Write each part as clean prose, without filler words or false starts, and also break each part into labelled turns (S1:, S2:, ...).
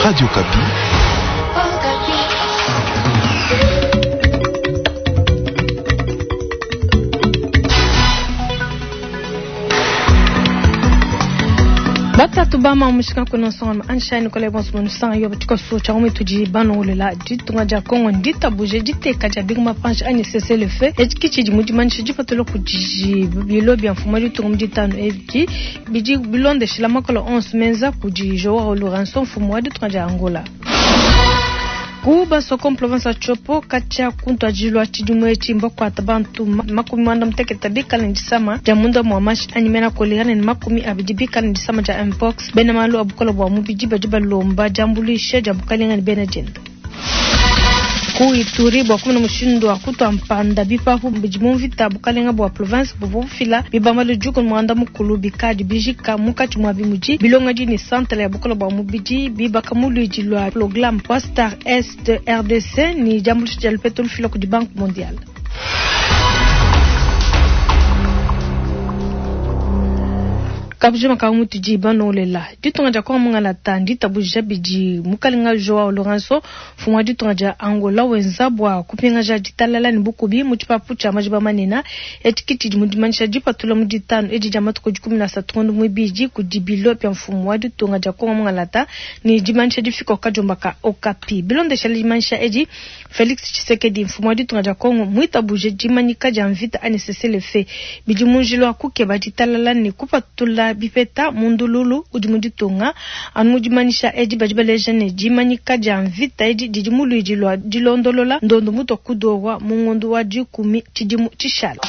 S1: Radio Okapi.
S2: Batatu ba mamushika kuna nsonga anshani kole bonso mu yo tshikoso tshia mu tudi banongolela ditunga dia Kongo nditabuje diteka dia binguma panshi anyi cessez-le-feu etshi ki tshidi mu dimanyisha dipatula kudi bilo bia mfumu wa ditunga mu ditanu edi bidi bilondeshila makola onso menza kudi Joao Lourenço mfumu wa ditunga dia Angola. Ku Basoko mu province wa Tshopo katshia ku ntuadijilu wa tshidimu etshi mbakuata bantu 60 bikale ne disama dia munda mua mashi anyi mena kolera ne 20 bikale ne disama dia mpox. Bena malu a bukole bua mubidi badi balomba diambuluisha dia bukalenga ne bena dienda. Ku Ituri bua kumona mushindu wa kutua mpanda bipapu bidi mu mvita, bukalenga bua province buvua bufila bibambalu 14 bikadi bijika munkatshi muabi mudi bilongedi ne santala ya bukole bua mubidi bibaka mu luidi lua programme wa Star Est RDC ne diambuluisha dia lupetu lufila kudi Banque Mondiale. Kabujima ka mutudi banolela ditunga dia Kongo mungalata nditabuja bidi mukalenga Joao Lourenço mfumu wa ditunga dia Angola wenza bua kupingaja ditalala ne bukubi mu tshipapu tshia majiba manene. Etshi ki tshidi mu dimanyisha dipatula mu ditanu edi dia matuku 13 ngondo muibidi kudi bilo bia mfumu wa ditunga dia Kongo mungalata ne dimanyisha difika kadiomba ka Okapi. Bilondeshela dimanyisha edi, Felix Tshisekedi mfumu wa ditunga dia Kongo muitabuje dimanyika dia mvita anyi cessez-le-feu bidi mu njila wa kukeba ditalala ne kupatula bipeta mu ndululu udi mu ditunga. Anu mu dimanyisha edi badi baleja ne dimanyika dia mvita edi didi mu luidi lua dilondolola ndondo mutua kudowa mu ngondo wa 10 tshidimu tshishala.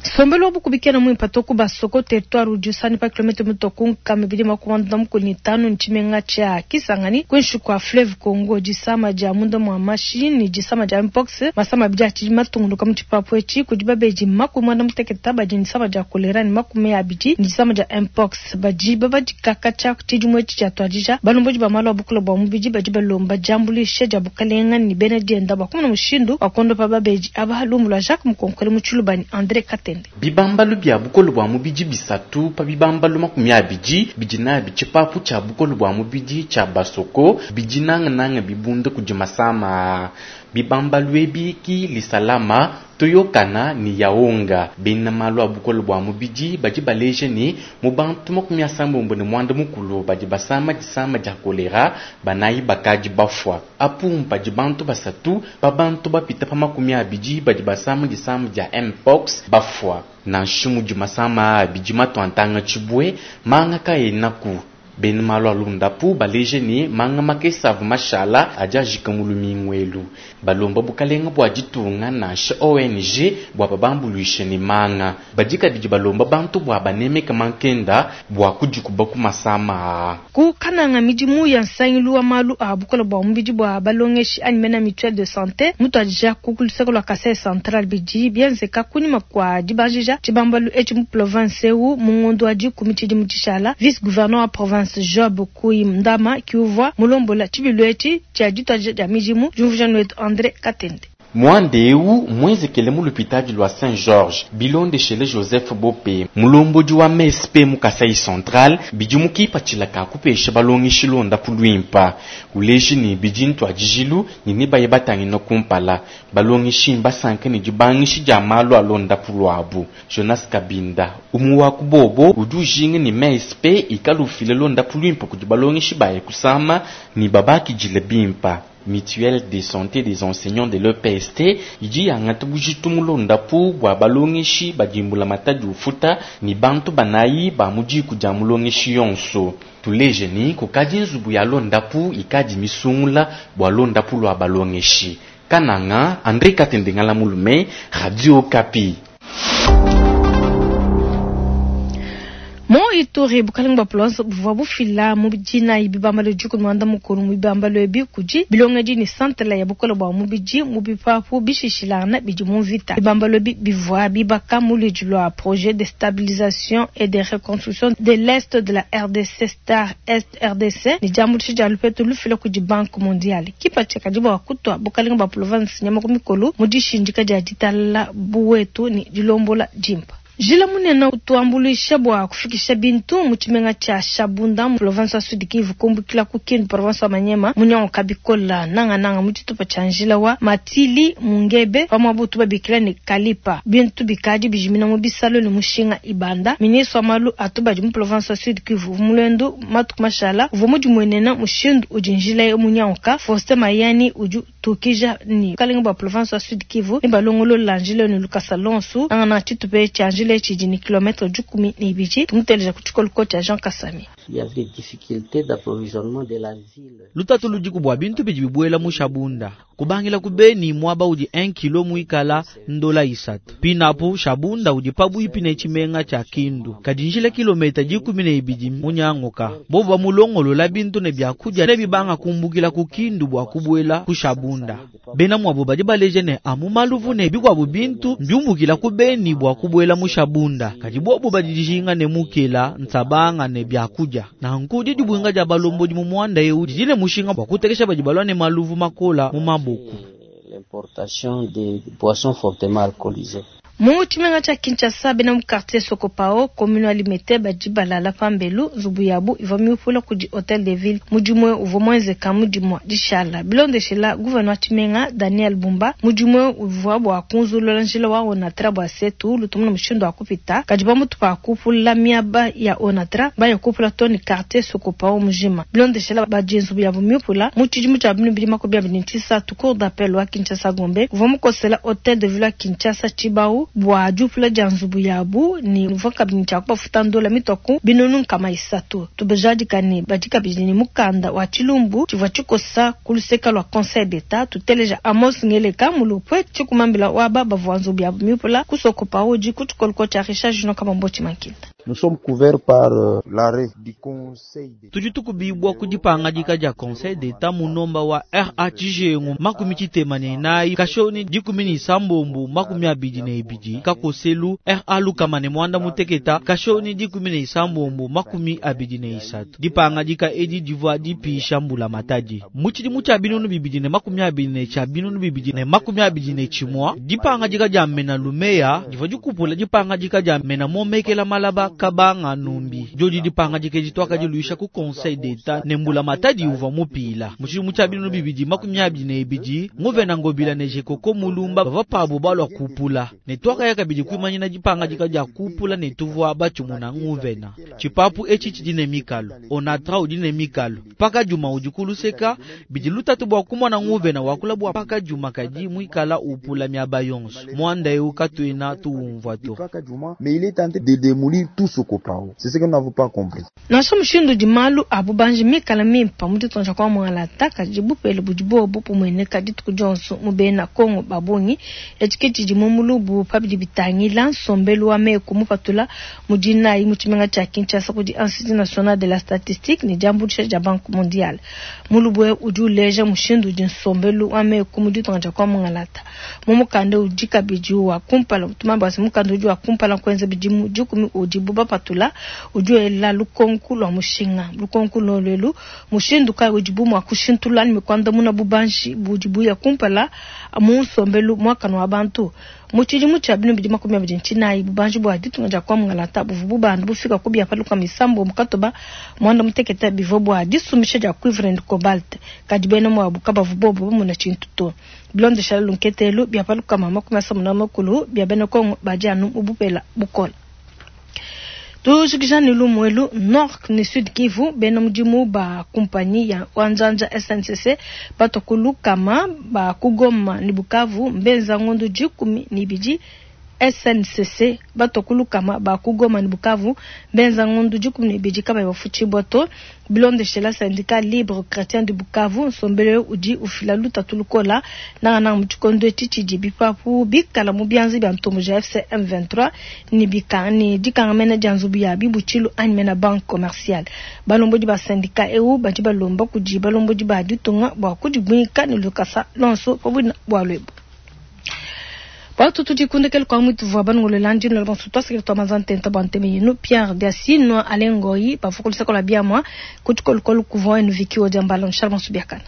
S2: Nsombelu wa bukubi kena muimpe to ku Basoko territoire udi usani pa kilomètre mutua ku 245 ne tshimenga tshia Kisangani kuinshi kua fleuve Congo. Disama dia munda mua mashi ne disama dia mpox masama abidi atshidi matunguluka mu tshipapu etshi kudi babedi 80 badi ne disama dia kolera ne 20 ne disama dia mpox badi babadika katshia tshidimu etshi tshiatuadija. Balombodi ba malu a bukole bua mubidi badi balomba diambuluisha dia bukalenga ne bena dienda bua kumona mushindu wa kuondopa babedi aba. Lumu lua Jacques Mukonkole mu Tshiluba ne André Katende.
S3: Bibambalu bia bukole bua mubidi bisatu pa bibambalu 20 bidi nabi tshipapu tshia bukole bua mubidi tshia Basoko bidi nangananga bibunda kudi masama. Bibambalu ebi ki Lisalama, Toyokana ne Yaonga. Bena malu a bukole bua mubidi badi baleja ne mu bantu 69 badi basama disama dia kolera, banayi bakadi bafua. Apu padi bantu basatu pa bantu bapita pa 20 badi basama disama dia mpox bafua. Nansha mudi masama abidi matuantanga tshibue, manga kaenaku. Bena malu a lundapu baleje ne manga makese avu mashala adi ajika mu lumingu elu. Balomba bukalenga bua ditunga nansha ONG bua babambuluishe ne manga. Badi kabidi balomba bantu bua banemeka mankenda bua kudikuba ku masama aa.
S2: Ku Kananga midimu ya nsangilu wa malu a bukole bua mubidi bua balongeshi anyi mena mutuelle de santé mutuadija ku luseke lua Kasai Central bidi bienzeka kunyima kua dibanjija tshibambalu etshi mu province eu mu ngondo wa 10 tshidimu tshishala. Vice gouverneur wa province Job Kuindama kiuvua mulombola tshibilu etshi tshia dituadija dia midimu. Diumvuija wetu André Katende.
S3: Mwande eu mwenzekele mu lupitadi lua Saint Georges bilondeshele Joseph Bope mulombodi wa MSP mu Kasai Central bidi mukipatshila ka kupesha balongeshi londapu luimpa uleji ne bidi ntuadijilu ne nebaye batangina kumpala balongeshi mbasanka ne dibangishi dia malu a londapu luabu. Jonas Kabinda umu wa kubobo udi ujinga ne MSP ikala ufila londapu luimpa kudi balongeshi baye kusama ne babakidile bimpa. Mutuelle de santé des enseignants de l'EPST idi yangata bujitu mulondapu bua balongeshi badimbula matadi ufuta ni bantu banayi ba mu diku dia mulongeshi yonso. Tuleje ni kukadi nzubu ya londapu ikadi misungula bua londapu lua balongeshi. Kananga, André Katende Ngala Mulume, Radio Okapi.
S2: Mu Ituri bukalenga bua province buvua bufila mu dinayi bibambalu 13 mu bibambalu ebi kudi bilongedi ne santala ya bukole bua mubidi mu bipapu bishishilangana bidi mu mvita. Bibambalu ebi bivua bibaka mu luidi lua projet de stabilisation et de reconstruction de l'Est de la RDC Star Est RDC ne diambuluisha dia lupetu lufila kudi Banque Mondiale. Kipatshila kadi bua kutua bukalenga bua province nyama ku mikolo mu dishindika dia ditalala buwetu ne dilombola dimpa. Njila munene utu wambuluisha bua kufikisha bintu mu tshimenga tshia Shabunda mu province wa Sud Kivu kumbukila ku Kindu province wa Maniema munyanguka bikola nangananga mu tshitupa tshia njila wa Matili Mungebe pa muaba utu babikila ne Kalipa. Bintu bikadi bijimina mu bisalu ne mushinga ibanda. Ministre wa malu a tubadi mu province wa Sud Kivu uvua mu luendu matuku mashala uvua mudimuenena mushindu udi njila eu munyanguka. Faustin Mayani udi Tukija ne bukalenga bua province wa Sud Kivu ne balongolola njila ne lukasa lonsu nangananga tshitupa etshi tshia njila etshi tshidi ne kilometre 12. Tumuteleja ku tshikoluko tshia Jean Kasami.
S1: Lutatu ludiku bua bintu bidi bibuela mu Shabunda kubangila ku Beni muaba udi 1 kilo muikala ndola 3. Pinapu Shabunda udi pabuipi ne tshimenga tshia Kindu kadi njila kilometa 12 munyanguka. Bobu bamulongolola bintu ne biakudia ne bibanga kumbukila ku Kindu bua kubuela ku Shabunda. Bena muabu badi baleja ne amu maluvu ne bikuabu bintu mbiumbukila ku Beni bua kubuela mu Shabunda, kadi bobu badi dijinga ne mukela, nsabanga ne biakudia. Nanku didibuinga dia balombodi mu muanda eu didi ne mushinga bua kutekesha badi balua ne maluvu makola mu maboku.
S2: Mu tshimenga tshia Kinshasa, bena mu quartier Sokopao, commune wa Limete, badi balala pambelu. Nzubu yabu ivua miupula kudi Hotel de Ville. Mudimu eu uvua muenzeka mu dimua dishala. Bilondeshila gouverneur wa tshimenga Daniel Bumba, mudimu eu uvua bua kunzulula njila wa Onatra bua se tuwulu tumone mushindu wa kupita. Kadi pamutu pa kupula miaba ya Onatra, mbaya kupula too ne quartier Sokopao mujima. Bilondeshila badi nzubu yabu miupula, mu tshidimu tshia 2023, Cour d'appel wa Kinshasa Gombe uvua mukosela Hotel de Ville wa Kinshasa tshibawu bua diupula dia nzubu yabu ne uvua kabidi ne tshia kubafuta ndola mitua ku 300. Tubajadika ne badi kabidi ne mukanda wa tshilumbu tshivua tshikosa ku luseka lua Conseil d'Etat. Tuteleja Amos Ngeleka Mulupwe tshikumambila wa aba bavua nzubu yabu miupula ku Sokopa udi ku tshikoluko tshia Richard Junior Kabamboti Mankinda.
S4: Nous sommes couverts par l'arrêt du Conseil d'Etat.
S1: Tudi tukubibua ku dipangadika dia Conseil d'Etat mu nomba wa RA Tshijengu 64 kashoni 16 22 kakoselu RA 118 kashoni 16 23. Dipangadika edi divua dipisha mbula matadi mu tshidimu tshia 2020 ne tshia 2021. Dipangadika dia mena lumeya divua dikupula dipangadika dia mena momekela malaba kabanga numbi. Diodi dipangadika edi twakadiluisha ku Conseil d'Etat ne mbula matadi uvua mupila. Mu tshidimu tshia 2022 nguvena Ngobila ne Jekoko Mulumba bavua pabu balua kupula ne twakaya kabidi kuimanyina dipangadika dia kupula ne tuvua batshimuna nguvena. Tshipapu etshi tshidi ne mikalo, Onatra udi ne mikalo, Pakadjuma udi kuluseka. Bidi lutatu bua kumona nguvena wakula bua Pakadjuma kadi muikala upula miaba yonso. Muanda eu katuena tuumvua to.
S4: Mais il est tenté de démolir tout Sokopao. C'est ce que nous n'avons pas compris.
S2: Nansha mushindu udi malu a bubanji mikala mimpa mu ditunga dia kwa Mualata, kadi bupele budi bobu bumueneka dituku dionso mu bena Kongo ba bungi. Etshi ke tshidi mu mulubu pa bidi bitangila nsombelu wa meku mupatula mu dinayi mu tshimenga tshia Kinshasa kudi Institut National de la Statistique ne diambuluisha dia Banque Mondiale. Mulubu eu udi uleja mushindu udi nsombelu wa meku mu ditunga dia kwa Mungalata. Mu mukanda udi kabidi wa kumpala tumamba bua se mukanda udi wa kumpala kuenza bidimu 10 udibu bapatula udi wela lukonku lua mushinga. Lukonku lolu mushindu kayi udibu mua kushintulula anyi kuandamuna bubanji budi buya kumpala mu nsombelu muakane wa bantu. Mu tshidimu tshia 2024 bubanji bua ditunga dia kwa Mungalata buvua bubanda bufika ku bia pa 69 bivua bua disumbisha dia cuivre ne cobalt, kadi bena muabu kabavua bobu bamona tshintu to. Bilondeshela lunketelu bia pa 64 bia bena Kongo badi anu mu bupela bukola. Tujikija ne lumu elu Nord ne Sud Kivu, bena mudimu ba kumpanyi ya Wanjanja SNCC batua ku 100 ba ku Goma ne Bukavu mbenza ngondo 12. SNCC batua ku 100 ba ku Goma ne Bukavu mbenza ngondo 12 kabayi bafutshibua to. Bilondeshela syndicat libre chrétien de Bukavu, nsombelu udi ufila lutatu lukola nangananga mu tshikondo etshi tshidi bipapu bikala mu bianza bia ntombo ja FC M23 ne bika ne dikangamena dia nzubu ya bibutshilu anyi mena banque commerciale. Balombodi ba syndicat eu badi balomba kudi balombodi ba ditunga bua kudibuika ne lukasa lonso pa buina bua lwebu. Watu tudikundekele kwa mwitu vwa banungolola ndino la bonso twasikile twa mazantenta bwa nteme yenu Pierre Diasino Alengoi bafukulisako la biamwa kutukolukolu kuvwa enu vikiwo dia mbala nshala bonso biakana.